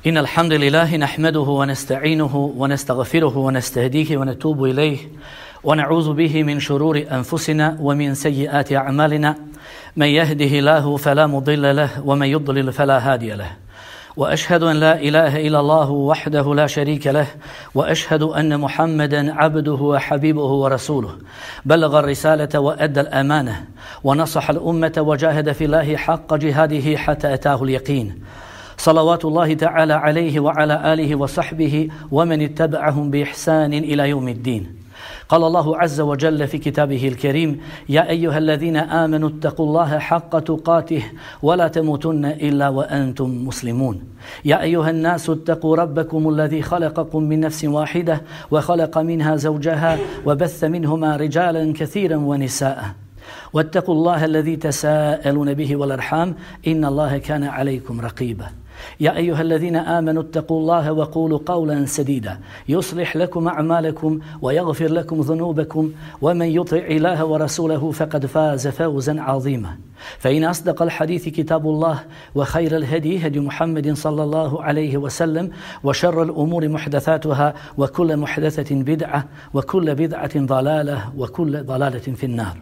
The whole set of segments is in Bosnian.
إن الحمد لله نحمده ونستعينه ونستغفره ونستهديه ونتوب إليه ونعوذ به من شرور أنفسنا ومن سيئات أعمالنا من يهده الله فلا مضل له ومن يضلل فلا هادي له وأشهد أن لا إله إلا الله وحده لا شريك له وأشهد أن محمدا عبده وحبيبه ورسوله بلغ الرسالة وأدى الأمانة ونصح الأمة وجاهد في الله حق جهاده حتى أتاه اليقين صلوات الله تعالى عليه وعلى آله وصحبه ومن اتبعهم بإحسان إلى يوم الدين. قال الله عز وجل في كتابه الكريم: يا أيها الذين آمنوا اتقوا الله حق تقاته ولا تموتن إلا وأنتم مسلمون. يا أيها الناس اتقوا ربكم الذي خلقكم من نفس واحدة وخلق منها زوجها وبث منهما رجالا كثيرا ونساء واتقوا الله الذي تساءلون به والأرحام إن الله كان عليكم رقيبا. يا أيها الذين آمنوا اتقوا الله وقولوا قولا سديدا يصلح لكم أعمالكم ويغفر لكم ذنوبكم ومن يطع الله ورسوله فقد فاز فوزا عظيما. فإن أصدق الحديث كتاب الله وخير الهدي هدي محمد صلى الله عليه وسلم وشر الأمور محدثاتها وكل محدثة بدعة وكل بدعة ضلالة وكل ضلالة في النار.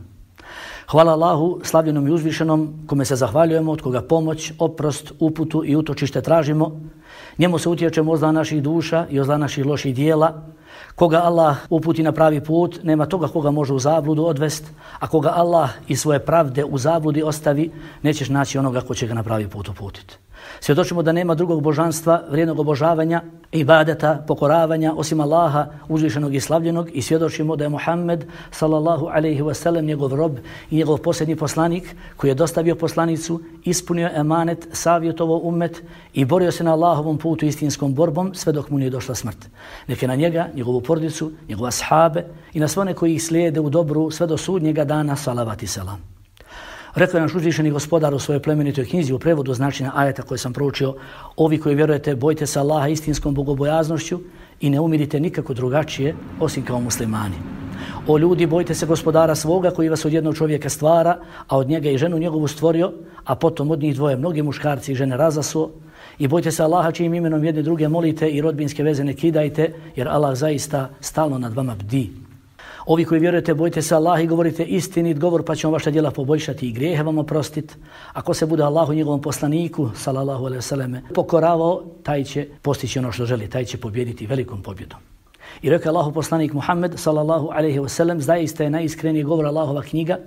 Hvala Allahu, slavljenom i uzvišenom, kome se zahvaljujemo, od koga pomoć, oprost, uputu i utočište tražimo. Njemu se utječemo od zla naših duša i od zla naših loših dijela. Koga Allah uputi na pravi put, nema toga koga može u zabludu odvest, a koga Allah iz svoje pravde u zabludi ostavi, nećeš naći onoga ko će ga na pravi put uputiti. Svjedočimo da nema drugog božanstva, vrijednog obožavanja, ibadeta, pokoravanja, osim Allaha, uzvišenog i slavljenog, i svjedočimo da je Muhammed sallallahu alaihi wasallam njegov rob i njegov posljednji poslanik koji je dostavio poslanicu, ispunio emanet, savjetovao ummet i borio se na Allahovom putu istinskom borbom sve dok mu nije došla smrt. Neka na njega, njegovu porodicu, njegove ashabe i na sve one koji ih slijede u dobru sve do sudnjega dana, salavat i selam. Rekao je naš uzvišeni gospodar u svojoj plemenitoj knjizi u prevodu značenja ajeta koje sam proučio: ovi koji vjerujete, bojte se Allaha istinskom bogobojaznošću i ne umirite nikako drugačije osim kao muslimani. O ljudi, bojte se gospodara svoga koji vas od jednog čovjeka stvara, a od njega i ženu njegovu stvorio, a potom od njih dvoje mnogi muškarci i žene razasuo. I bojte se Allaha čijim imenom jedne druge molite i rodbinske veze ne kidajte, jer Allah zaista stalno nad vama bdi. Ovi koji vjerujete, bojte se Allaha i govorite istinit govor, pa ćemo vaša djela poboljšati i grijehe vam oprostiti. Ako se bude Allahu njegovom poslaniku sallallahu alejhi ve selleme pokoravao, taj će postići ono što želi, taj će pobijediti velikom pobjedom. I rekao Allahu poslanik Muhammed sallallahu alejhi ve sellem: zaista je najiskreniji govor Allahova knjiga,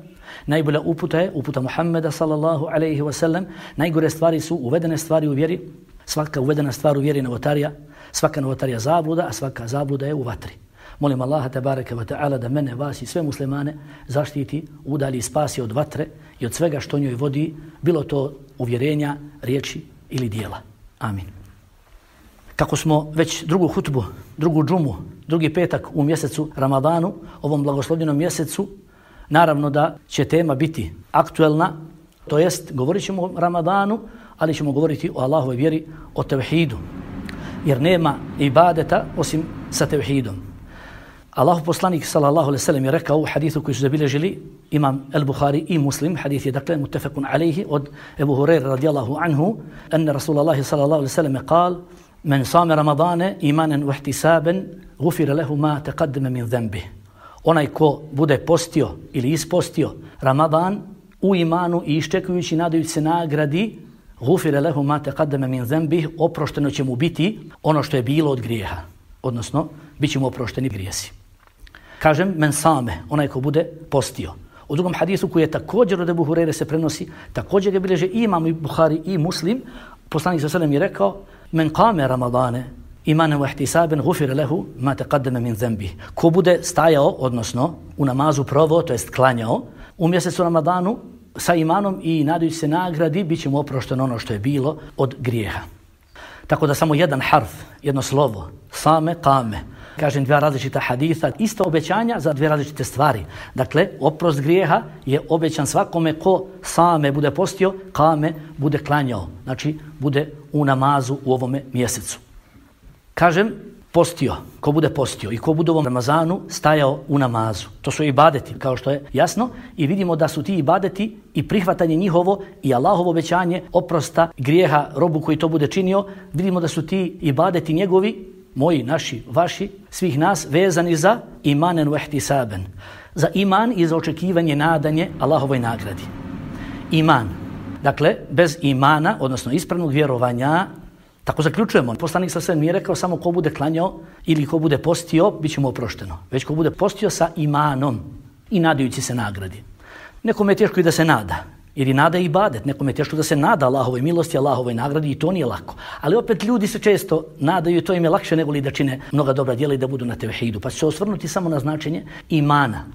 najbolja uputa je uputa Muhammeda sallallahu alejhi ve sellem, najgore stvari su uvedene stvari u vjeri, svaka uvedena stvar u vjeri novotarija, svaka novotarija zabluda, a svaka zabluda je u vatri. Molim Allaha tebareke ve ta'ala da mene, vas i sve muslimane zaštiti, udalji i spasi od vatre i od svega što njoj vodi, bilo to uvjerenja, riječi ili dijela. Amin. Kako smo već drugu hutbu, drugu džumu, drugi petak u mjesecu Ramadanu, ovom blagoslovljenom mjesecu, naravno da će tema biti aktuelna, to jest govorit ćemo o Ramadanu, ali ćemo govoriti o Allahovoj vjeri, o tevhidu, jer nema ibadeta osim sa tevhidom. Allahu poslanik sallallahu alejhi ve sellem je rekao u hadisu koji su zabilježili imam al-Bukhari i Muslim, hadis je dakle muttafaqun alayhi od Ebu Hurajre radijallahu anhu, anna Rasulullah sallallahu alejhi ve sellem قال: من صام رمضان إيمانا واحتسابا غفر له ما تقدم من ذنبه. Onaj ko bude postio ili ispostio Ramadan u imanu i iščekujući, nadajući se nagradi, غفر له ما تقدم من ذنبه, oprošteno će mu biti ono što je bilo od grijeha, odnosno bit će mu oprošteni grijesi. Kažem, men same, onaj ko bude postio. U drugom hadisu koji je također od Ebu Hurajre se prenosi, također ga bilježe i imam Buhari i Muslim, poslanik sallallahu alejhi ve sellem je rekao: men qame ramadane imanan wa ihtisaban ghufira lahu ma taqaddama min dhanbi. Ko bude stajao, odnosno u namazu proveo, to jest klanjao u mjesecu Ramadanu sa imanom i nadajući se nagradi, bit će mu oprošteno ono što je bilo od grijeha. Tako da samo jedan harf, jedno slovo, same, kame, kažem dva različita haditha, isto obećanja za dvije različite stvari. Dakle, oprost grijeha je obećan svakome ko same bude postio, kame bude klanjao, znači bude u namazu u ovome mjesecu. Kažem, postio, ko bude postio i ko bude u ovom Ramazanu stajao u namazu. To su ibadeti, kao što je jasno, i vidimo da su ti ibadeti i prihvatanje njihovo i Allahovo obećanje oprosta grijeha robu koji to bude činio. Vidimo da su ti ibadeti njegovi, moji, naši, vaši, svih nas, vezani za imanen wa ihtisaben. Za iman i za očekivanje, nadanje Allahovoj nagradi. Iman. Dakle, bez imana, odnosno ispravnog vjerovanja, tako zaključujemo. Poslanik sa sve nije rekao samo ko bude klanjao ili ko bude postio, bit će mu oprošteno. Već ko bude postio sa imanom i nadajući se nagradi. Nekome je teško i da se nada, jer i nada je ibadet. Nekome je teško da se nada Allahovoj milosti, Allahovoj nagradi i to nije lako. Ali opet ljudi se često nadaju i to im je lakše nego li da čine mnoga dobra djela i da budu na tevhidu. Pa će se osvrnuti samo na značenje imana.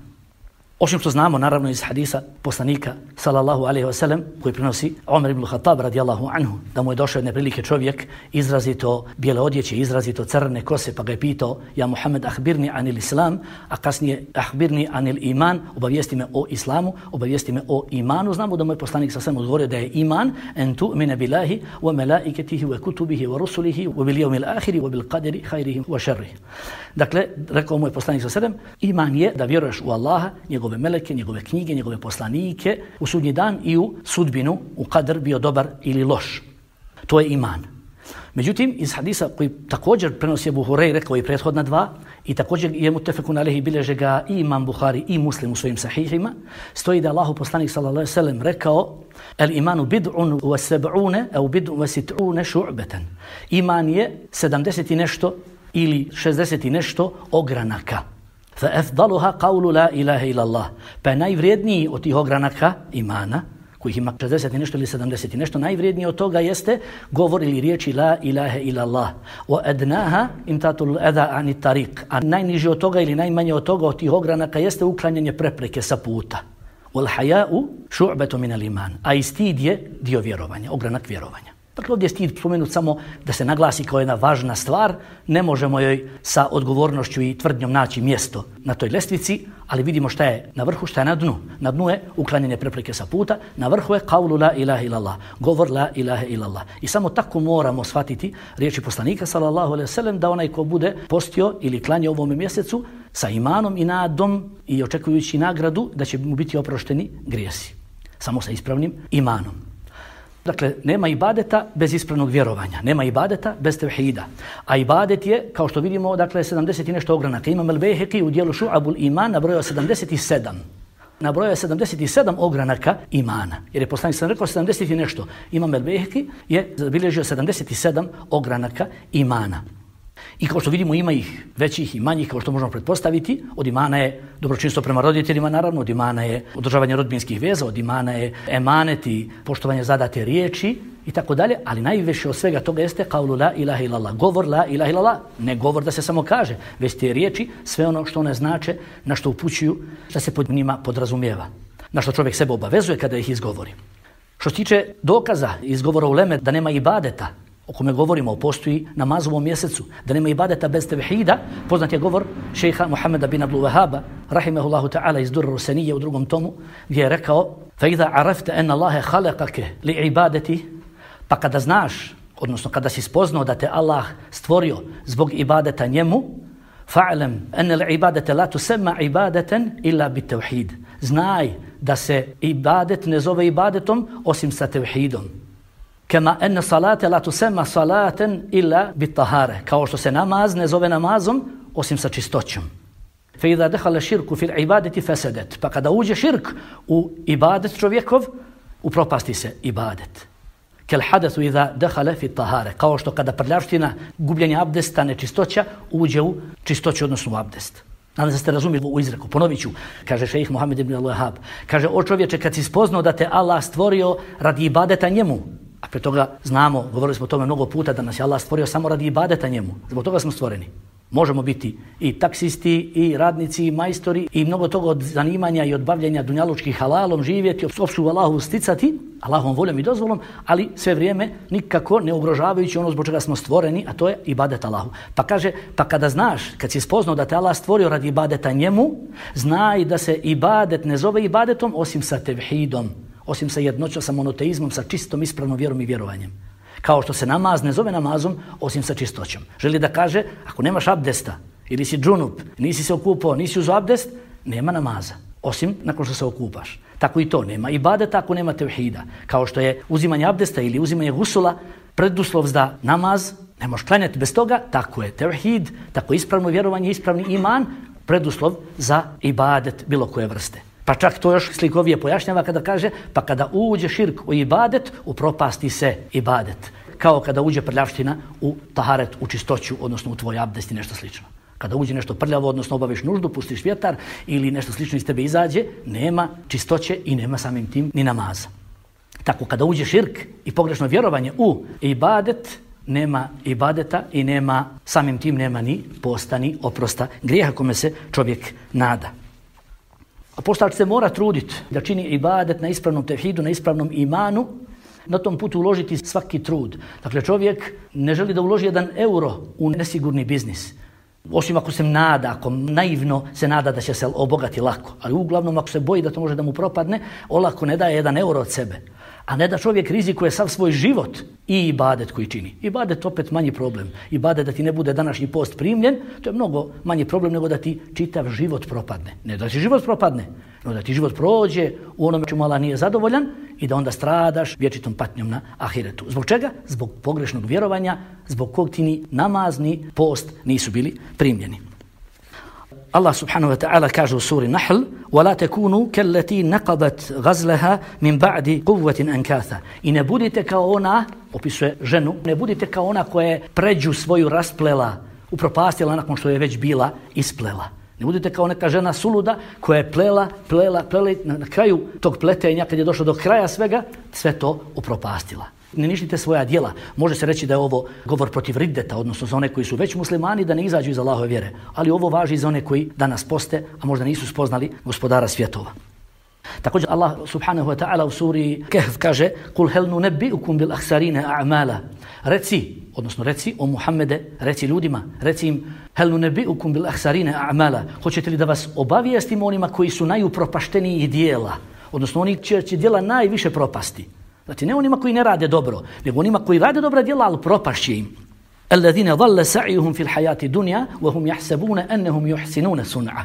Osim što znamo, naravno, iz hadisa poslanika, sallallahu alaihi wa sallam, koji prinosi Omer ibn Khattab, radijallahu anhu, da mu je došao jedne prilike čovjek, izrazito bijele odjeće, izrazito crne kose, pa ga je pitao, ja Muhammed, ahbirni anil islam, a kasnije ahbirni anil iman, obavijesti me o islamu, obavijesti me o imanu. Znamo da moj poslanik sa svema odgovorio da je iman, en tu'mine billahi, wa melaiketihi, wa kutubihi, wa rusulihi, wa bil jevmil ahiri, wa bil qadiri, hajrihi, wa šerrihi. Dakle, rekao moj poslanik sa svema, iman je da vjeruješ u Allaha, njegove meleke, njegove knjige, njegove poslanike, u sudnji dan i u sudbinu, u kadr bio dobar ili loš. To je iman. Međutim, iz hadisa koji također prenosi Abu Hurajra, rekao i prethodna dva, i također je mutefekun alejhi, bilježe ga i Imam Buhari i Muslim u svojim sahihima, stoji da je Allahu poslanik sallallahu alejhi ve sellem rekao: "El imanu bid'un wa sab'una aw bid'un wa sit'una shu'batan." Iman je 70 i nešto ili 60 i nešto ogranaka. فَأَفْضَلُهَا قَوْلُ لَا إِلَهَ إِلَّا اللَّهِ. Pa je najvrijedniji od tih ogranaka imana, kojih ima 60 i nešto ili 70 i nešto, najvrijedniji od toga jeste govor ili riječi la ilaha illa Allah. وَأَدْنَاهَا إِمْتَاتُ الْأَذَا عَنِ الطَّرِيقِ. A najniži od toga ili najmanje od toga od tih ogranaka jeste uklanjanje prepreke sa puta. وَالْحَيَاءُ شُعْبَةٌ مِنَ الْإِيمَانِ. A i stid je dio vjerovanja, ogranak vjerovanja. Dakle, ovdje je stid spomenut samo da se naglasi kao jedna važna stvar. Ne možemo joj sa odgovornošću i tvrdnjom naći mjesto na toj lestvici, ali vidimo šta je na vrhu, šta je na dnu. Na dnu je uklanjanje prepreke sa puta, na vrhu je qawlu la ilaha illallah, govor la ilaha illallah. I samo tako moramo shvatiti riječi poslanika sallallahu alejhi ve sellem da onaj ko bude postio ili klanjao ovome mjesecu sa imanom i nadom i očekujući nagradu da će mu biti oprošteni grijesi. Samo sa ispravnim imanom. Dakle, nema ibadeta bez ispravnog vjerovanja, nema ibadeta bez tevhida. A ibadet je, kao što vidimo, dakle, 70 i nešto ogranaka. Imam el-Bejheki u dijelu Šu'abul Iman nabrojao 77. Nabrojao je 77 ogranaka imana. Jer je poslanik sam rekao 70 i nešto. Imam el-Bejheki je zabilježio 77 ogranaka imana. I kao što vidimo, ima ih većih i manjih, kao što možemo pretpostaviti. Od imana je dobročinstvo prema roditeljima, naravno, od imana je održavanje rodbinskih veza, od imana je emanet i poštovanje zadate riječi i tako dalje, ali najviše od svega toga jeste qawlu la ilaha illallah, govor la ilaha illallah, ne govor da se samo kaže, već te riječi, sve ono što one znače, na što upućuju, da se pod njima podrazumijeva, na što čovjek sebe obavezuje kada ih izgovori. Što se tiče dokaza izgovora uleme da nema ibadeta, o kome govorimo, postoji namazovom mjesecu, da nema ibadeta bez tevhida, poznat je govor šejha Muhameda bin Abdul Wahhaba, rahimehullahu ta'ala, iz Durr Rusenije u 2. tomu, gdje je rekao: فَإِذَا عَرَفْتَ أَنَّ اللَّهَ خَلَقَكَ لِعِبَادَتِ. Pa kada znaš, odnosno kada si spoznao da te Allah stvorio zbog ibadeta njemu, فَعْلَمْ أَنَّ الْعِبَادَةَ لَا تُسَمَّ عِبَادَةً إِلَّا بِالتَّوْحِيدِ. Znaj da se ibadet ne zove ibadetom osim sa tevhidom. Kama enne salate la tusema salaten illa bitahare. Kao što se namaz ne zove namazom osim sa čistoćom. Fe idha dehala širku fil ibadeti fesedet. Pa kada uđe širk u ibadet čovjekov, upropasti se ibadet. Kel hadathu idha dehala fit tahare. Kao što kada prljavština, gubljenje abdesta, nečistoća, uđe u čistoću, odnosno u abdest. Nadam se ste razumjeli u izreku. Ponovit ću, kaže šejih Muhammed ibn al-Wahhab. Kaže: o čovječe, kad si spoznao da te Allah stvorio radi ibadeta njemu, a pre toga znamo, govorili smo o tome mnogo puta, da nas je Allah stvorio samo radi ibadeta njemu. Zbog toga smo stvoreni. Možemo biti i taksisti, i radnici, i majstori, i mnogo toga od zanimanja i od bavljenja dunjalučkih halalom, živjeti, opću Allahu sticati, Allahovom voljom i dozvolom, ali sve vrijeme nikako ne ugrožavajući ono zbog čega smo stvoreni, a to je ibadet Allahu. Pa kaže, pa kada znaš, kad si spoznao da te Allah stvorio radi ibadeta njemu, znaj da se ibadet ne zove ibadetom osim sa tevhidom, osim sa jednoćom, sa monoteizmom, sa čistom ispravnom vjerom i vjerovanjem. Kao što se namaz ne zove namazom osim sa čistoćom. Želi da kaže, ako nemaš abdesta, ili si džunup, nisi se okupao, nisi uzeo abdest, nema namaza. Osim nakon što se okupaš. Tako i to, nema ibadeta ako nema tevhida. Kao što je uzimanje abdesta ili uzimanje gusula preduslov za namaz, ne možeš klanjati bez toga, tako je tevhid, tako je ispravno vjerovanje, ispravni iman, preduslov za ibadet bilo koje vrste. Pa čak to još slikovije pojašnjava kada kaže, pa kada uđe širk u ibadet, upropasti se ibadet. Kao kada uđe prljavština u taharet, u čistoću, odnosno u tvoj abdest i nešto slično. Kada uđe nešto prljavo, odnosno obaviš nuždu, pustiš vjetar ili nešto slično iz tebe izađe, nema čistoće i nema samim tim ni namaza. Tako kada uđe širk i pogrešno vjerovanje u ibadet, nema ibadeta i nema, samim tim nema ni posta ni oprosta grijeha kome se čovjek nada. A postač se mora truditi da čini ibadet na ispravnom tevhidu, na ispravnom imanu, na tom putu uložiti svaki trud. Dakle, čovjek ne želi da uloži 1 euro u nesigurni biznis. Osim ako se nada, ako naivno se nada da će se obogati lako. Ali uglavnom ako se boji da to može da mu propadne, olako ne daje 1 euro od sebe. A ne da čovjek rizikuje sav svoj život i ibadet koji čini. Ibadet opet manji problem. Ibadet da ti ne bude današnji post primljen, to je mnogo manji problem nego da ti čitav život propadne. Ne da ti život propadne, no da ti život prođe u onome čemu Allah nije zadovoljan i da onda stradaš vječitom patnjom na ahiretu. Zbog čega? Zbog pogrešnog vjerovanja, zbog kog ti ni namaz ni post nisu bili primljeni. Allah subhanahu wa ta'ala kaže u suri Nahl وَلَا تَكُونُوا كَلَّتِي نَقَضَتْ غَزْلَهَا مِنْ بَعْدِ قُوَّةٍ أَنْكَاثًا. I ne budite kao ona, opisuje ženu, ne budite kao ona koja je pređu svoju rasplela, upropastila nakon što je već bila isplela. Ne budite kao neka žena suluda koja je plela i na kraju tog pletenja, kad je došlo do kraja svega, sve to upropastila. Ne ništite svoja djela. Može se reći da je ovo govor protiv riddeta, odnosno za one koji su već muslimani da ne izađu iz Allahove vjere. Ali ovo važi za one koji danas poste, a možda nisu spoznali gospodara svjetova. Također Allah subhanahu wa ta'ala u suri Kehf kaže Kul hel nunebbi'ukum bil ahsarine a'mala. Reci o Muhammede, reci ljudima, reci im hel nunebbi'ukum bil ahsarine a'mala. Hoćete li da vas obavijestimo onima koji su najupropašteniji dijela, odnosno oni čija će djela najviše propasti. Znači ne onima koji ne rade dobro, nego onima koji rade dobra djela, ali propašće im. Alladhina dhalla sa'yuhum fil hayati dunya wa hum yahsabuna annahum yuhsinuna sun'a.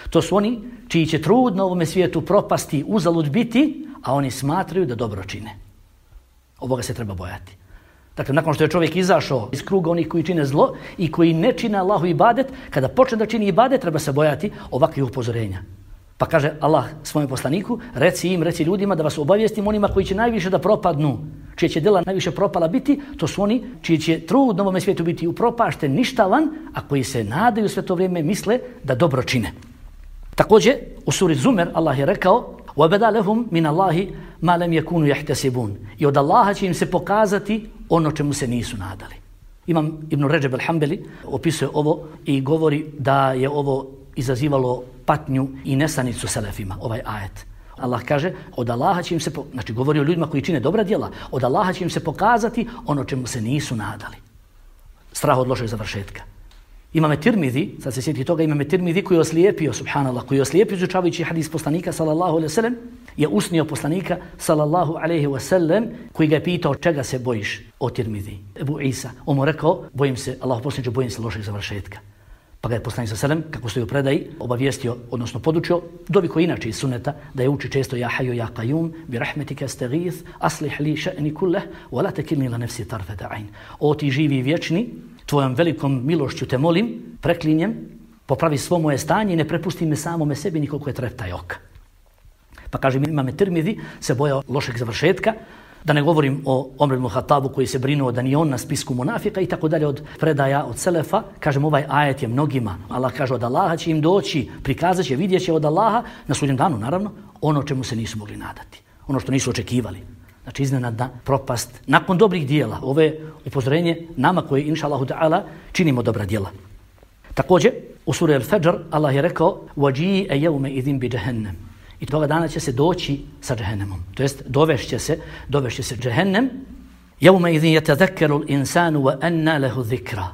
To su oni čiji će trud na ovome svijetu propasti, uzalud biti, a oni smatraju da dobro čine. Ovoga se treba bojati. Dakle, nakon što je čovjek izašao iz kruga onih koji čine zlo i koji ne čine Allahu ibadet, kada počne da čini ibadet, treba se bojati ovakvih upozorenja. Pa kaže Allah svojom poslaniku, reci ljudima da vas obavijestim onima koji će najviše da propadnu, čije će djela najviše propala biti, to su oni čiji će trud na ovome svijetu biti upropašten, ništavan, a koji se nadaju sve to vrijeme misle da dobro čine. Također, u suri Zumer Allah je rekao وَبَدَا لَهُمْ مِنَ اللَّهِ مَا لَمْ يَكُونُوا يَحْتَسِبُونَ. I od Allaha će im se pokazati ono čemu se nisu nadali. Imam Ibn Ređeb al-Hambeli opisuje ovo i govori da je ovo izazivalo patnju i nesanicu selefima, ovaj ajet. Allah kaže, od Allaha će im se, znači govori o ljudima koji čine dobra djela, od Allaha će im se pokazati ono čemu se nisu nadali. Strah od lošeg završetka. Imame Tirmidhi, sad se sjeti toga, Imame Tirmidhi koji je oslijepio, subhanallah, koji je oslijepio izučavajući hadis poslanika sallallahu alejhi ve sellem, je usnio poslanika sallallahu alejhi ve sellem koji ga je pitao čega se bojiš o Tirmidhi. Ebu Isa, on mu rekao, bojim se, Allah poslaniče, bojim se lošeg završetka. Pa ga je poslanik sallallahu alejhi ve sellem, kako stoji u predaji, obavijestio, odnosno podučio, dovi koji inače iz sunneta, da je uči često ja hayyu ya qayyum bi rahmetika astaghith aslih li sha'ni kullah wa la takilni la nafsi tarfata ayn. O ti živi i vječni, tvojom velikom milošću te molim, preklinjem, popravi svo moje stanje i ne prepusti me samome sebi nikoliko je treptaj oka. Pa kaže Imam Tirmidhi se bojao lošeg završetka, da ne govorim o Omer ibn Hatabu koji se brinuo da ni on na spisku munafika i tako dalje od predaja od selefa. Kažem, ovaj ajet je mnogima. Allah kaže od Allaha će im doći, prikazat će, vidjet će od Allaha na sudnjem danu, naravno, ono čemu se nisu mogli nadati. Ono što nisu očekivali. Znači iznenadna propast nakon dobrih dijela. Ove upozorenje nama koji inša Allahu ta'ala činimo dobra dijela. Također u suri Al-Fajr Allah je rekao وَجِيءَ يَوْمَ إِذِنْ بِجَهَنَّمْ. I toga dana će se doći sa džehennemom. To jest dovešće se džehennem. يَوْمَ إِذِنْ يَتَذَكَّرُ الْإِنسَانُ وَأَنَّا لَهُ ذِكْرًا.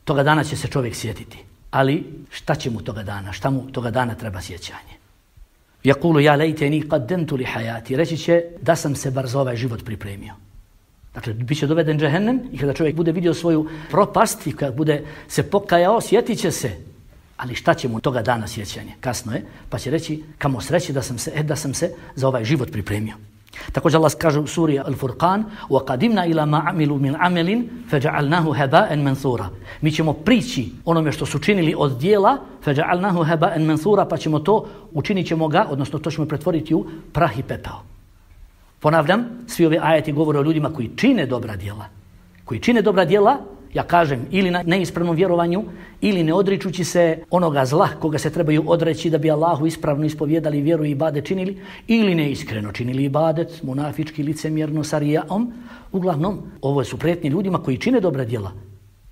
Toga dana će se čovjek sjetiti. Ali šta će mu toga dana? Šta mu toga dana treba sjećanje? Yaqulu ya laytani qaddamtu li hayati. Reći će da sam se bar za ovaj život pripremio. Dakle, bit će doveden džehennem i kada čovjek bude vidio svoju propast i kada bude se pokajao, sjetit će se. Ali šta će mu toga dana sjećanje? Kasno je, pa će reći kamo sreći da sam se za ovaj život pripremio. Također Allah kaže u suri Al-Furqan وَقَدِمْنَا إِلَى مَا عَمِلُوا مِنْ عَمَلٍ فَجَعَلْنَاهُ هَبَاءً مَنْثُورًا. Mi ćemo prići onome što su činili od dijela فَجَعَلْنَاهُ هَبَاءً مَنْثُورًا, pa ćemo to, učinit ćemo ga, odnosno to ćemo pretvoriti u prah i pepeo. Ponavljam, svi ove ajeti govore o ljudima koji čine dobra djela. Koji čine dobra djela, ja kažem, ili na neispravnom vjerovanju, ili ne odričući se onoga zla koga se trebaju odreći da bi Allahu ispravno ispovjedali vjeru i ibadet činili, ili neiskreno činili ibadet, munafički, licemjerno, sa rijaom. Uglavnom, ovo su prijetnje ljudima koji čine dobra djela,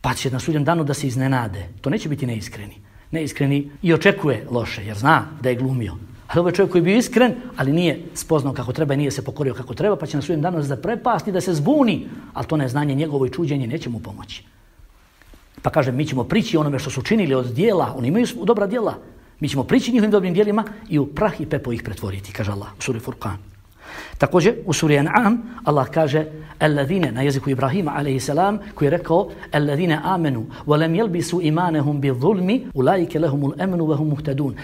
pa će na sudnjem danu da se iznenade. To neće biti neiskreni. Neiskreni i očekuje loše, jer zna da je glumio. Ali ovo je čovjek koji je bio iskren, ali nije spoznao kako treba i nije se pokorio kako treba, pa će na sudnjem danu zaprepasti da se zbuni, ali to neznanje njegovo i čuđenje neće mu pomoći. Pa kaže, mi ćemo prići onome što su činili od dijela, oni imaju dobra dijela, mi ćemo prići njihovim dobrim dijelima i u prah i pepo ih pretvoriti, kaže Allah u suri Furqan. Također u suri An'am Allah kaže alladhina, na jeziku Ibrahima a.s. koji je rekao alladhina amenu wa lam yalbisu imanahum bi-zulmi ulaika lahumul amnu wa hum muhtadun.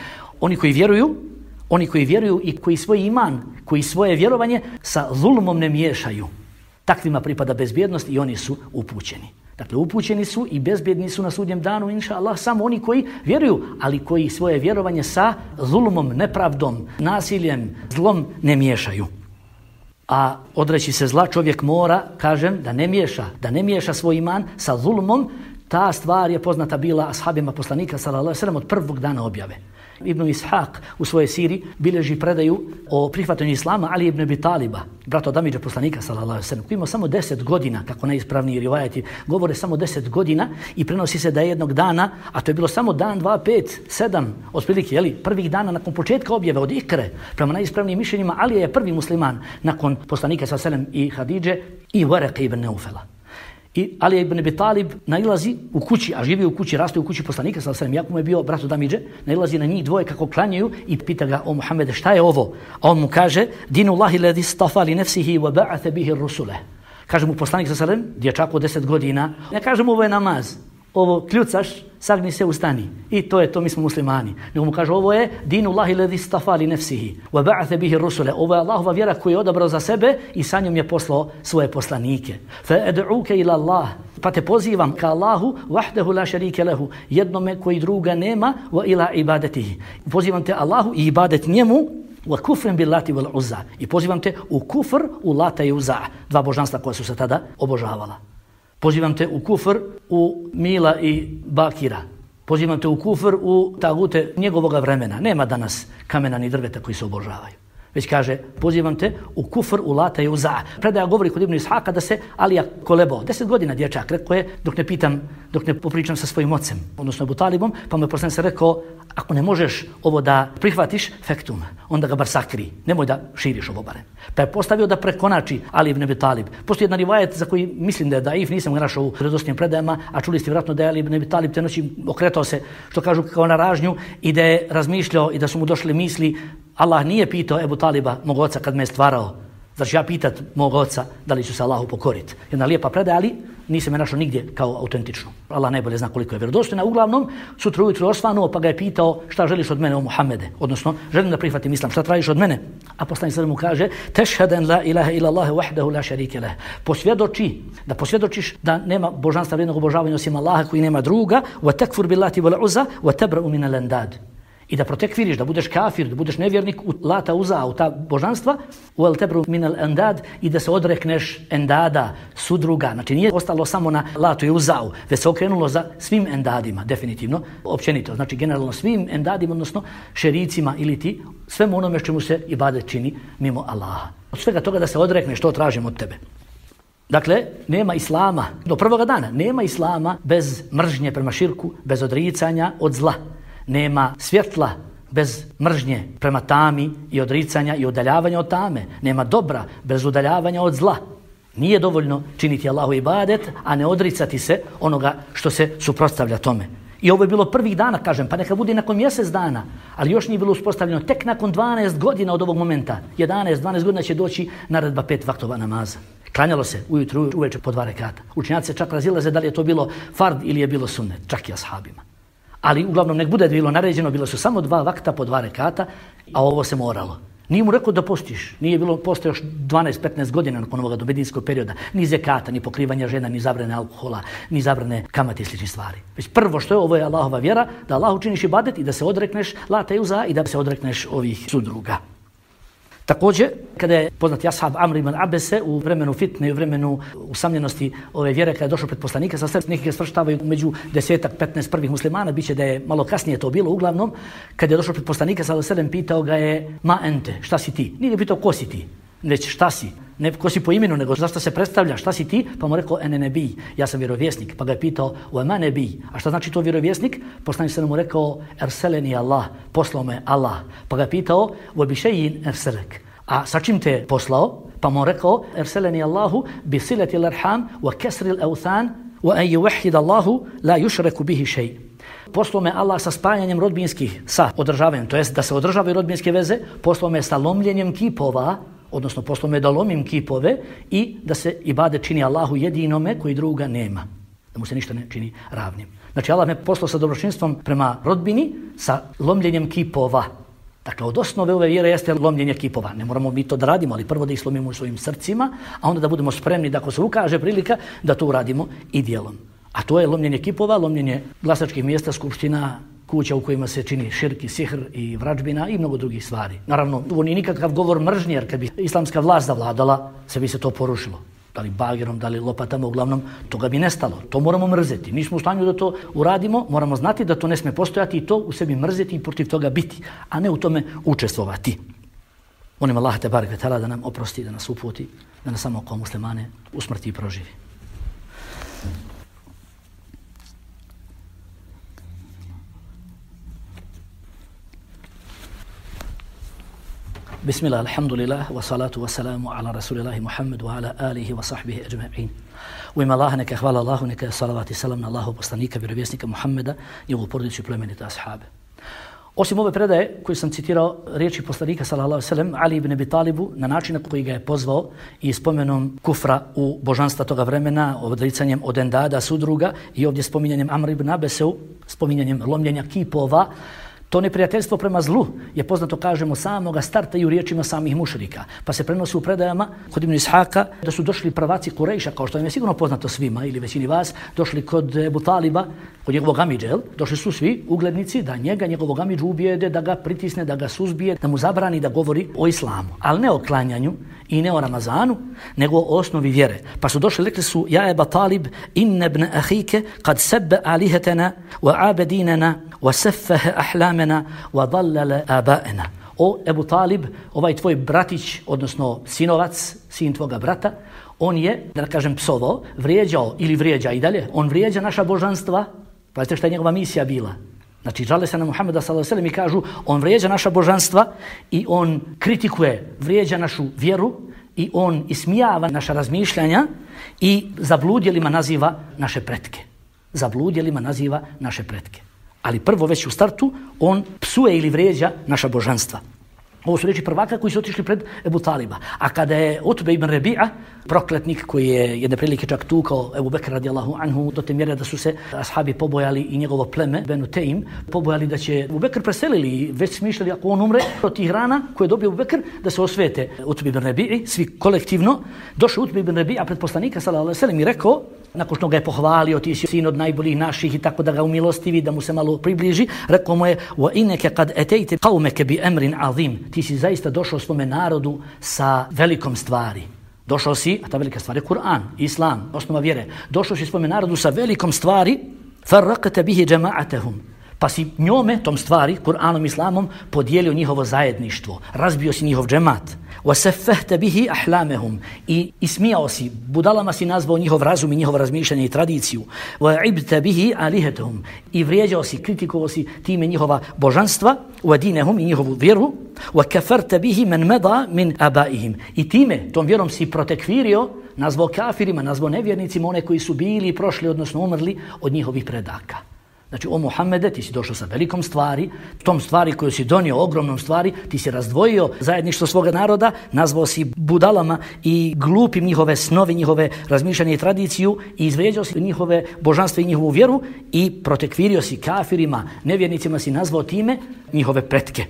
Oni koji vjeruju i koji svoj iman, koji svoje vjerovanje sa zulmom ne miješaju. Takvima pripada bezbjednost i oni su upućeni. Dakle, upućeni su i bezbjedni su na sudnjem danu, inša Allah, samo oni koji vjeruju, ali koji svoje vjerovanje sa zulmom, nepravdom, nasiljem, zlom ne miješaju. A odreći se zla čovjek mora, kažem, da ne miješa svoj iman sa zulmom. Ta stvar je poznata bila ashabima poslanika sallallahu alejhi ve sellem od prvog dana objave. Ibn Ishaq u svojoj siri bilježi predaju o prihvatanju islama Ali ibn Abi Taliba, brata od amidže poslanika sallallahu alejhi ve sellem, koji ima samo 10 godina, kako najispravniji rivajeti govore, samo 10 godina, i prenosi se da je jednog dana, a to je bilo samo dan, 2, 5, 7, otprilike, prvih dana nakon početka objave od Ikre, prema najispravnijim mišljenjima, Ali je prvi musliman nakon poslanika sallallahu alejhi ve sellem i Hadidže i Waraka ibn Naufela. I Ali ibn Abi Talib nailazi u kući, a živi u kući, raste u kući poslanika sallallahu alejhi ve sellem, jako mu je bio brat od amidže, nailazi na njih dvoje kako klanjaju i pita ga: o Muhammede, šta je ovo? A on mu kaže: dinullahi ladhi istafa li nafsihi wa ba'atha bihi ar-rusula. Kaže mu poslanik sallallahu alejhi ve sellem, dječak od 10 godina, ne kaže mu ovo je namaz, ovo kljucaš, sagni se, ustani. I to je to, mi smo muslimani. Nego mu kaže, ovo je dinullahi ladhi istafa li nafsihi wa ba'atha bihi ar-rusula. Ovo je Allahova vjera koju je odabrao za sebe i sa njom je poslao svoje poslanike. Fa ad'uka ila Allah, pa te pozivam ka Allahu wahdahu la sharika lahu, jednome koji druga nema, wa ila ibadatihi. Pozivam te Allahu i ibadet njemu, wa kufrin bil lati wal uzza. I pozivam te u kufr u Lata i Uzza, dva božanstva koja su se tada obožavala. Pozivam te u kufr u Mila i Bakira. Pozivam te u kufr u tagute njegovoga vremena. Nema danas kamena ni drveta koji se obožavaju. Već kaže, pozivam te u kufr u Lata i Uzza. Predaja govori kod Ibn Ishaka da se Alija kolebao. 10 godina dječak, rekao je, dok ne popričam sa svojim ocem, odnosno Abu Talibom, pa mu je poslanik rekao, ako ne možeš ovo da prihvatiš, fektum, onda ga bar sakri, nemoj da širiš ovo barem. Pa je postavio da prekonači Ali ibn Abi Talib. Postoji jedan rivajet za koji mislim da je daif, nisam ga našao u vjerodostojnim predajama, a čuli ste vjerojatno da je Ali ibn Abi Talib te noći okretao se, što kažu, kao na ražnju, i da je razmišljao i da su mu došle misli: Allah nije pitao Ebu Taliba, mog oca, kad me je stvarao, znači ja pitat mog oca da li ću se Allahu pokoriti. Jedna lijepa predaja, ali nisam je našao nigdje kao autentičnu. Allah najbolje zna koliko je vjerodostojna. Uglavnom, sutra ujutro osvanuo, pa ga je pitao: šta želiš od mene, o Muhammede? Odnosno, želim da prihvatim islam, šta tražiš od mene? A poslanik sallallahu mu kaže: tešheden la ilaha illa Allah wahdahu la sharika lah. Posvjedočiš da nema božanstva vrijednog obožavanja osim Allaha koji nema druga, wa takfur billati wal uzza wa tabra'u min al-andad. I da protekviriš, da budeš kafir, da budeš nevjernik u Lata, Uzza, u ta božanstva, wal tabru min al-andad, i da se odrekneš endada, sudruga. Znači nije ostalo samo na Latu i Uzzau, već se okrenulo za svim endadima, definitivno, općenito. Znači generalno svim endadima, odnosno šericima ili ti, svemu onome čemu se ibadet čini mimo Allaha. Od svega toga da se odrekneš, što tražim od tebe. Dakle, nema islama, do prvoga dana, nema islama bez mržnje prema širku, bez odricanja od zla. Nema svjetla bez mržnje prema tami i odricanja i udaljavanja od tame. Nema dobra bez udaljavanja od zla. Nije dovoljno činiti Allahu ibadet, a ne odricati se onoga što se suprotstavlja tome. I ovo je bilo prvih dana, kažem, pa neka bude nakon mjesec dana, ali još nije bilo uspostavljeno. Tek nakon 12 godina od ovog momenta, 12 godina će doći naredba 5 vaktova namaza. Klanjalo se ujutru, uveče po 2 rekata. Učenjaci se čak razilaze da li je to bilo fard ili je bilo sunnet, čak i ashabima. Ali uglavnom nek bude bilo naređeno, bilo su samo 2 vakta po 2 rekata, a ovo se moralo. Nije mu rekao da postiš, nije bilo postoje još 12-15 godina nakon ovoga do medinskog perioda, ni zekata, ni pokrivanja žena, ni zabrane alkohola, ni zabrane kamate i sličnih stvari. Već prvo što je, ovo je Allahova vjera, da Allah učiniš ibadet i da se odrekneš lata i uza i da se odrekneš ovih sudruga. Također, kada je poznati ashab Amr ibn Abese u vremenu fitne i u vremenu usamljenosti ove vjere, kada je došao pred poslanika, sa neki ga svrštavaju među 10-15 prvih muslimana, biće da je malo kasnije to bilo, uglavnom, kada je došao pred poslanika, sallallahu alejhi ve sellem, pitao ga je ma ente, šta si ti? Nije ga pitao ko si ti, već šta si? Ne ko si po imenu, nego zašto se predstavlja, šta si ti? Pa mu rekao ene nebij, ja sam vjerovjesnik. Pa ga je pitao wa ma nebij, a šta znači to vjerovjesnik? Poslanik se mu rekao erseleni Allah, poslao me Allah. Pa ga je pitao wa bi shay'in erselek, a sa čim te poslao? Pa mu rekao erseleni Allahu bi silati al-arham wa kasri al-awthan wa an yuwahhid Allahu la yushraku bihi shay'. Poslao me Allah sa spajanjem rodbinskih, sa održavanjem, to jest da se održavaju rodbinske veze, poslao me sa lomljenjem kipova, odnosno poslao me da lomim kipove i da se ibadet čini Allahu jedinome koji druga nema, da mu se ništa ne čini ravnim. Znači Allah me poslao sa dobročinstvom prema rodbini, sa lomljenjem kipova. Dakle, od osnove ove vjere jeste lomljenje kipova. Ne moramo mi to da radimo, ali prvo da ih slomimo u svojim srcima, a onda da budemo spremni da ako se ukaže prilika da to uradimo i djelom. A to je lomljenje kipova, lomljenje glasačkih mjesta, skupština, kuća u kojima se čini širk i sihr i vrađbina i mnogo drugih stvari. Naravno, ovo nije nikakav govor mržnje, jer kad bi islamska vlast zavladala, sve bi se to porušilo. Da li bagerom, da li lopatama, uglavnom, toga bi nestalo. To moramo mrzeti. Nismo u stanju da to uradimo, moramo znati da to ne sme postojati i to u sebi mrzeti i protiv toga biti, a ne u tome učestvovati. Molim Allah te barek ve taala da nam oprosti, da nas uputi, da nas samo kao muslimane usmrti i proživi. Bismillah, alhamdulillah, wa salatu wa salamu ala rasulillahi Muhammed wa ala alihi wa sahbihi ajma'in. U ime Allaha neka hvala Allahu, neka salavat i salam na Allahu poslanika, vjerovjesnika Muhammeda, njegovu porodicu i plemenite ashabe. Osim ove predaje koju sam citirao riječi poslanika sallallahu alejhi ve sellem Ali ibn Abi Talibu na način na koji ga je pozvao i spomenom kufra u božanstva toga vremena, odricanjem od endada, sudruga i ovdje spominjanjem Amr ibn Abeseu, spominjanjem lomljenja kipova. To neprijateljstvo prema zlu je poznato, kažemo, samoga starta i u riječima samih mušrika. Pa se prenosi u predajama kod Ibn Ishaka da su došli prvaci Kurejša, kao što im je sigurno poznato svima ili većini vas, došli kod Ebu Taliba, kod njegovog amidže, došli su svi uglednici da njega, njegovog amidžu ubijede, da ga pritisne, da ga suzbije, da mu zabrani da govori o islamu. Ali ne o klanjanju i ne o Ramazanu, nego o osnovi vjere. Pa su došli, rekli su, ja Ebu Talib, inna ibn ahike kad sebbe alihetena wa abedinena wa seffahe ahlamena wa dallale abaena. O Ebu Talib, ovaj tvoj bratić, odnosno sinovac, sin tvoga brata, on je, da kažem, psovao, vrijeđao ili vrijeđa i dalje, on vrijeđa naša božanstva. Pazite šta je njegova misija bila. Znači, žale se na Muhammeda sallallahu alejhi ve sellem i kažu, on vrijeđa naša božanstva i on kritikuje, vrijeđa našu vjeru i on ismijava naša razmišljanja i zabludjelima naziva naše pretke. Zabludjelima naziva naše pretke. Ali prvo već u startu on psuje ili vrijeđa naša božanstva. Ovo su riječi prvaka koji su otišli pred Ebu Taliba. A kada je Utbe ibn Rabi'a, prokletnik koji je jedne prilike čak tukao Ebu Bekr radijallahu anhu, do te mjere da su se ashabi pobojali i njegovo pleme, Benu Teim, pobojali da će Ebu Bekr preselili i već smišljali ako on umre od tih rana koje je dobio Ebu Bekr, da se osvete Utbe ibn Rabi'i, svi kolektivno. Došao Utbe ibn Rabi'a pred poslanika sallallahu alejhi ve sellem i rekao, nakon što ga je pohvalio, ti si sin od najboljih naših i tako da ga umilostivi, da mu se malo približi, rekao mu je wa innaka qad atayta qaumaka bi amrin azim. Ti si zaista došao svome narodu sa velikom stvari. Došao si, a ta velika stvar je Kur'an, Islam, osnova vjere. Došao si svome narodu sa velikom stvari, farraqta bihi jama'atahum. Pa si njome, tom stvari, Kur'anom, Islamom, podijelio njihovo zajedništvo. Razbio si njihov džemat. وَسَفَّهْتَ بِهِ أَحْلَامَهُمْ. I ismijao si, budalama si nazvao njihov razum i njihovo razmišljanje i tradiciju. وَعِبْتَ بِهِ آلِهَتَهُمْ. I vrijeđao si, kritikovao si time njihova božanstva, وَدِينَهُمْ i njihovu vjeru. وَكَفَرْتَ بِهِ مَنْ مَضَى مِنْ أَبَائِهِمْ. I time, tom vjerom si protekvirio, nazvao kafirima, nazvao nevjernicima one koji su bili i prošli, odnosno umrli od njihovih predaka. Znači, o Muhammede, ti si došao sa velikom stvari, tom stvari koju si donio, ogromnom stvari, ti si razdvojio zajedništvo svoga naroda, nazvao si budalama i glupim njihove snovi, njihove razmišljanje i tradiciju i izvrijeđao si njihove božanstva i njihovu vjeru i protekvirio si kafirima, nevjernicima si nazvao time njihove pretke.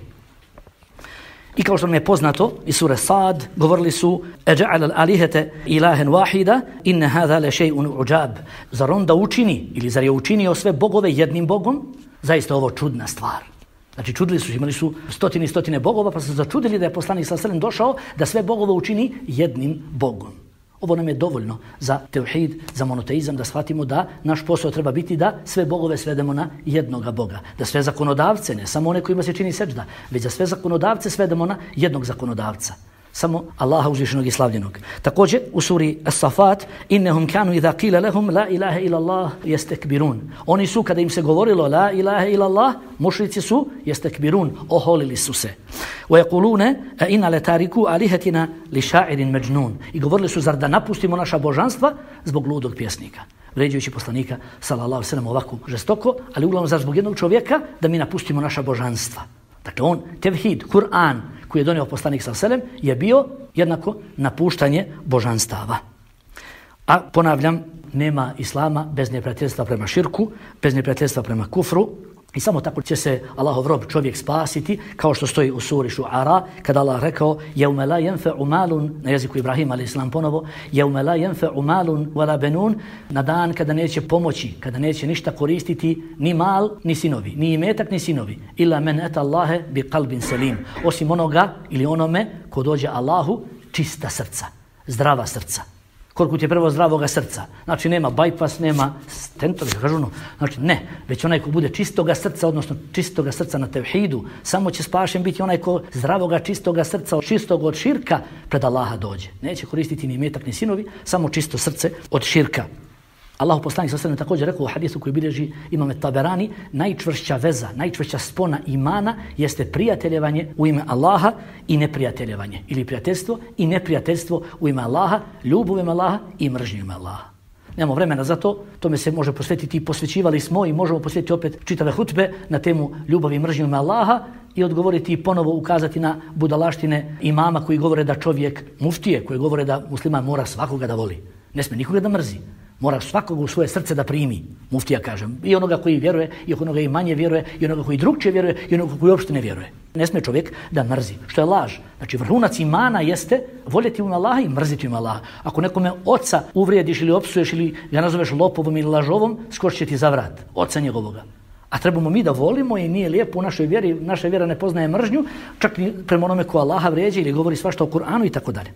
I kao što nam je poznato, iz sure Sad govorili su Eđa'al al-alihete ilahen wahida inne hadha le še'un uđab. Zar on da učini, ili zar je učinio sve bogove jednim bogom? Zaista ovo čudna stvar. Znači čudili su, imali su stotine i stotine bogova, pa su začudili da je poslanik sallallahu alejhi ve sellem došao da sve bogove učini jednim bogom. Ovo nam je dovoljno za tevhid, za monoteizam, da shvatimo da naš posao treba biti da sve bogove svedemo na jednoga Boga. Da sve zakonodavce, ne samo one kojima se čini seđda, već da sve zakonodavce svedemo na jednog zakonodavca. Samo Allaha uzvišenog i slavljenog. Također u suri As-Safat innahum kanu idha qila lahum la ilaha illa Allah yastakbirun. Oni su kada im se govorilo la ilaha illa Allah, mušrici su yastakbirun, oholili su se. Wa yaquluna a inna la tariku alihatina li sha'irin majnun. I govorili su zar da napustimo naša božanstva zbog ludog pjesnika. Vređajući poslanika sallallahu alejhi ve sellem ovako žestoko, ali uglavnom zar zbog jednog čovjeka da mi napustimo naša božanstva. Dakle, on, tevhid, Kur'an, koji je donio poslanik sallallahu alejhi ve sellem, je bio jednako napuštanje božanstava. A ponavljam, nema islama bez neprijateljstva prema širku, bez neprijateljstva prema kufru, i samo tako će se Allahov rob čovjek spasiti, kao što stoji u suri Šuara, kada Allah rekao jevme la jenfe'u malun, na jeziku Ibrahima alaih salam ponovo, jevme la jenfe'u malun wala benun, na dan kada neće pomoći, kada neće ništa koristiti ni mal, ni sinovi, ni imetak, ni sinovi, illa men eta Allahe bi qalbin selim, osim onoga ili onome ko dođe Allahu čista srca, zdrava srca. Koliko ti je prvo zdravoga srca. Znači nema bypass, nema stentovi, kažu no. Znači ne, već onaj ko bude čistoga srca, odnosno čistoga srca na tevhidu, samo će spašen biti onaj ko zdravoga, čistoga srca, čistog od širka pred Allaha dođe. Neće koristiti ni metak ni sinovi, samo čisto srce od širka. Allahu poslanik sallallahu alejhi ve sellem također rekao u hadisu koji bilježi Imam Taberani, najčvršća veza, najčvršća spona imana jeste prijateljevanje u ime Allaha i neprijateljevanje. Ili prijateljstvo i neprijateljstvo u ime Allaha, ljubav u ime Allaha i mržnju u ime Allaha. Nemamo vremena za to, tome se može posvetiti i posvećivali smo i možemo posvetiti opet čitave hutbe na temu ljubavi i mržnju u ime Allaha i odgovoriti i ponovo ukazati na budalaštine imama koji govore da čovjek, muftije koji govore da musliman mora svakoga da voli. Ne smije nikoga da mrzi. Mora svakoga u svoje srce da primi, muftija kažem, i onoga koji vjeruje, i onoga i manje vjeruje, i onoga koji drugčije vjeruje, i onoga koji uopšte ne vjeruje. Ne smije čovjek da mrzi, što je laž. Znači vrhunac imana jeste voljeti u Allaha i mrziti u Allaha. Ako nekome oca uvrijediš ili opsuješ ili ga nazoveš lopovom ili lažovom, skočit će ti za vrat, oca njegovoga. A trebamo mi da volimo i nije lijepo u našoj vjeri, naša vjera ne poznaje mržnju, čak ni prema onome ko Allaha vrijeđa ili govori svašta o Kur'anu i tako dalje.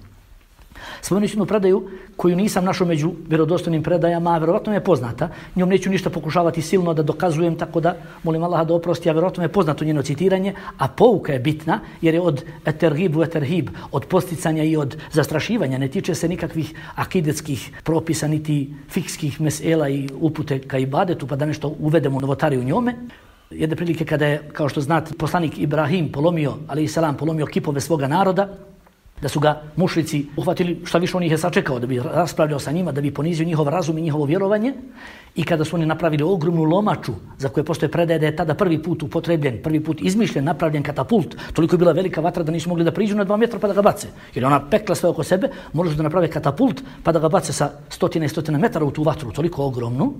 Spomenući jednu predaju koju nisam našao među vjerodostojnim predajama, a vjerovatno mi je poznata. Njom neću ništa pokušavati silno da dokazujem, tako da molim Allaha da oprosti, a vjerovatno mi je poznato njeno citiranje, a pouka je bitna jer je od eterhibu eterhib, od posticanja i od zastrašivanja. Ne tiče se nikakvih akidetskih propisa, niti fikskih mesela i upute ka ibadetu, pa da nešto uvedemo novotari u njome. Jedne prilike kada je, kao što znate, poslanik Ibrahim polomio, alejhi selam, polomio kipove svoga naroda, da su ga mušrici uhvatili, šta više on ih je sačekao, da bi raspravljao sa njima, da bi ponizio njihov razum i njihovo vjerovanje. I kada su oni napravili ogromnu lomaču, za koje postoje predaje da je tada prvi put upotrebljen, prvi put izmišljen, napravljen katapult, toliko je bila velika vatra da nisu mogli da priđu na 2 metra pa da ga bace. Jer ona pekla sve oko sebe, morali su da naprave katapult pa da ga bace sa stotina i stotina metara u tu vatru, toliko ogromnu.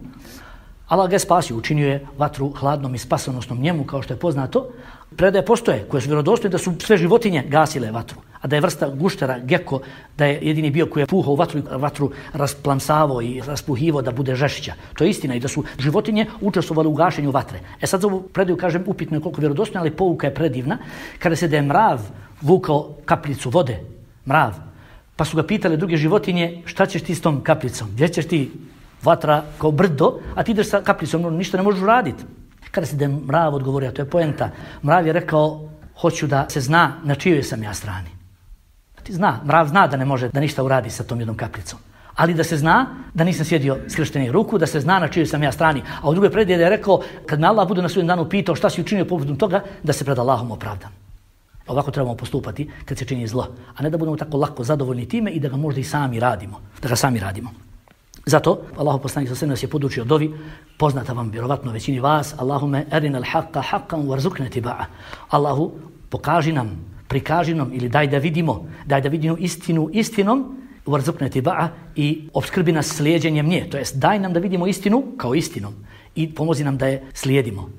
Allah ga je spasio, učinio je vatru hladnom i spasonosnom njemu, kao što je poznato. Predaje postoje, koje su vjerodostojne da su sve životinje gasile vatru, a da je vrsta guštera, geko, da je jedini bio koji je puhao vatru rasplamsavao i raspuhivao da bude žešća. To je istina i da su životinje učestvovali u gašenju vatre. Sad za ovu predaju kažem upitno je koliko vjerodostojna, ali pouka je predivna. Kada se da je mrav vukao kapljicu vode, mrav, pa su ga pitale druge životinje šta ćeš ti s tom kapljicom, gdje ćeš ti? Vatra kao brdo, a ti ideš sa kapljicom, ništa ne možeš raditi. Kada se da je mrav odgovorio, to je poenta, mrav je rekao, hoću da se zna na čijoj sam ja strani. Ti zna, mrav zna da ne može da ništa uradi sa tom jednom kapljicom. Ali da se zna da nisam sjedio skrštenih ruku, da se zna na čijoj sam ja strani. A u drugoj predaji da je rekao, kad me Allah bude na sudnjem danu pitao šta si učinio povodom toga, da se pred Allahom opravdam. Ovako trebamo postupati kad se čini zlo. A ne da budemo tako lako zadovoljni time i da ga možda i sami radimo. Da ga sami radimo. Zato Allahu poslanik sallallahu alejhi ve sellem nas je podučio dovi, poznata vam vjerovatno većini vas, Allahume arinal haqqa haqqan warzuqna tiba'a. Allahu, pokaži nam, prikaži nam ili daj da vidimo istinu istinom, warzuqna tiba'a, i opskrbi nas slijeđenjem nje. To jest daj nam da vidimo istinu kao istinom i pomozi nam da je slijedimo.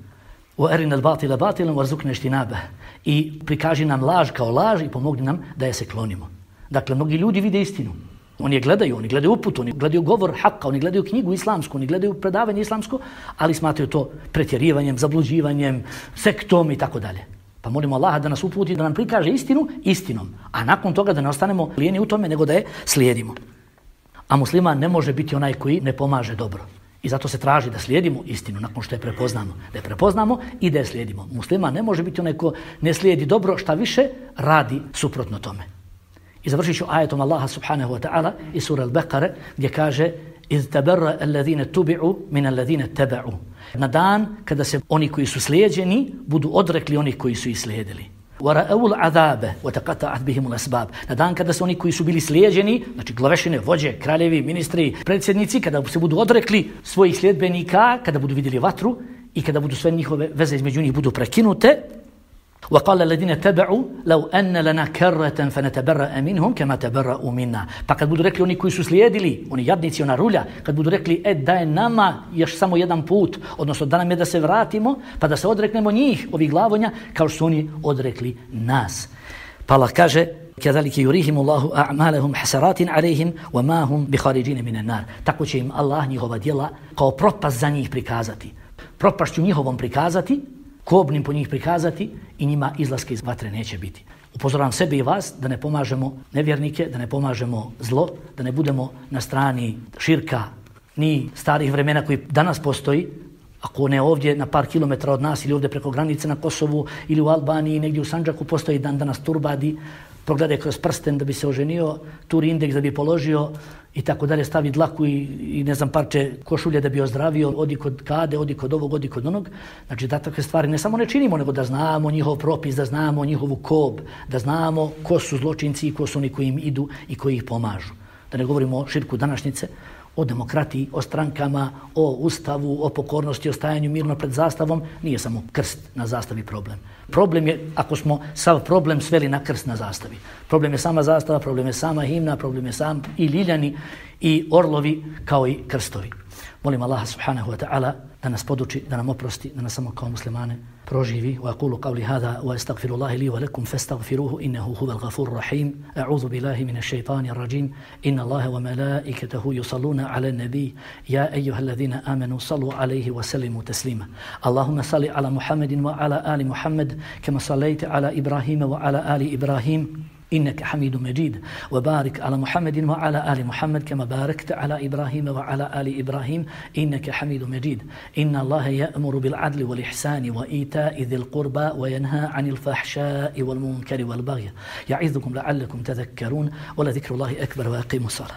Wa arinal batila batilan warzuqna ijtinaba. I prikaži nam laž kao laž i pomogni nam da je se klonimo. Dakle, mnogi ljudi vide istinu. Oni gledaju uput, oni gledaju govor haka, oni gledaju knjigu islamsku, oni gledaju predavanje islamsko, ali smatraju to pretjerivanjem, zabluđivanjem, sektom i tako dalje. Pa molimo Allaha da nas uputi, da nam prikaže istinu istinom, a nakon toga da ne ostanemo lijeni u tome, nego da je slijedimo. A musliman ne može biti onaj koji ne pomaže dobro. I zato se traži da slijedimo istinu nakon što je prepoznamo. Da je prepoznamo i da je slijedimo. Musliman ne može biti onaj ko ne slijedi dobro, šta više radi suprotno tome. I završit ću ajetom Allaha subhanahu wa ta'ala iz sura Al-Baqara gdje kaže iz tabarra alladhina tubi'u min alladhina taba'u. Na dan kada se oni koji su slijeđeni budu odrekli onih koji su ih slijedili. وَرَأَوُ الْعَذَابَ وَتَقَطَعَتْ بِهِمُ الْأَسْبَابِ. Na dan kada se oni koji su bili slijeđeni, znači glavešine, vođe, kraljevi, ministri, predsjednici, kada se budu odrekli svojih sljedbenika, kada budu vidjeli vatru i kada budu sve njihove veze između njih budu prekinute, وَقَالَ الَّذِينَ تَبَعُوا لَوْ أَنَّ لَنَا كَرَّةً فَنَتَبَرَّأَ مِنْهُمْ كَمَا تَبَرَّأُوا مِنَّا. Pa kad budu rekli oni koji su slijedili, oni jadnici, ona rulja, kad budu rekli da je nama još samo jedan put, odnosno da nam je da se vratimo, pa da se odreknemo njih, ovih glavonja, kao što su oni odrekli nas. Pa Allah kaže كَذَلِكَ يُرِيهِمُ اللَّهُ أَعْمَالَهُمْ حَسَرَاتٍ عَلَيْهِمْ وَمَا هُمْ بِخَارِجِينَ مِنَ النَّارِ. Tako će im Allah njihova djela kao propast za njih prikazati. Propašću njihovom prikazati, kobnim po njih prikazati i njima izlaske iz vatre neće biti. Upozoravam sebe i vas da ne pomažemo nevjernike, da ne pomažemo zlo, da ne budemo na strani širka ni starih vremena koji danas postoji, ako ne ovdje na par kilometara od nas ili ovdje preko granice na Kosovu ili u Albaniji, negdje u Sandžaku postoji dan danas turbadi, progledaj kroz prsten da bi se oženio, turi indeks da bi položio i tako dalje, stavi dlaku i ne znam parče košulje da bi ozdravio, odi kod kade, odi kod ovog, odi kod onog. Znači da takve stvari ne samo ne činimo, nego da znamo njihov propis, da znamo njihovu kob, da znamo ko su zločinci i ko su oni koji im idu i koji ih pomažu. Da ne govorimo o širku današnjice, o demokratiji, o strankama, o ustavu, o pokornosti, o stajanju mirno pred zastavom, nije samo krst na zastavi problem. Problem je, ako smo sav problem sveli na krst na zastavi. Problem je sama zastava, problem je sama himna, problem je sam i ljiljani i orlovi kao i krstovi. Molim Allaha subhanahu wa ta'ala da nas poduči, da nam oprosti, da nas samo kao muslimane proživi. Wa aqulu qawli hadha wa astaghfirullaha li wa lakum fastaghfiruhu innahu huwal ghafurur rahim. A'udhu billahi minash shaitanir rajim. Inna Allaha wa malaikatahu yusalluna 'alan nabiy ya ayyuhalladhina amanu sallu 'alayhi wa sallimu taslima. Allahumma salli 'ala Muhammadin wa 'ala ali Muhammad kama sallaita 'ala Ibrahim wa 'ala ali Ibrahim إنك حميد مجيد وبارك على محمد وعلى آل محمد كما باركت على إبراهيم وعلى آل إبراهيم إنك حميد مجيد إن الله يأمر بالعدل والإحسان وإيتاء ذي القربى وينهى عن الفحشاء والمنكر والبغي يعظكم لعلكم تذكرون ولذكر الله أكبر وأقيموا الصلاة.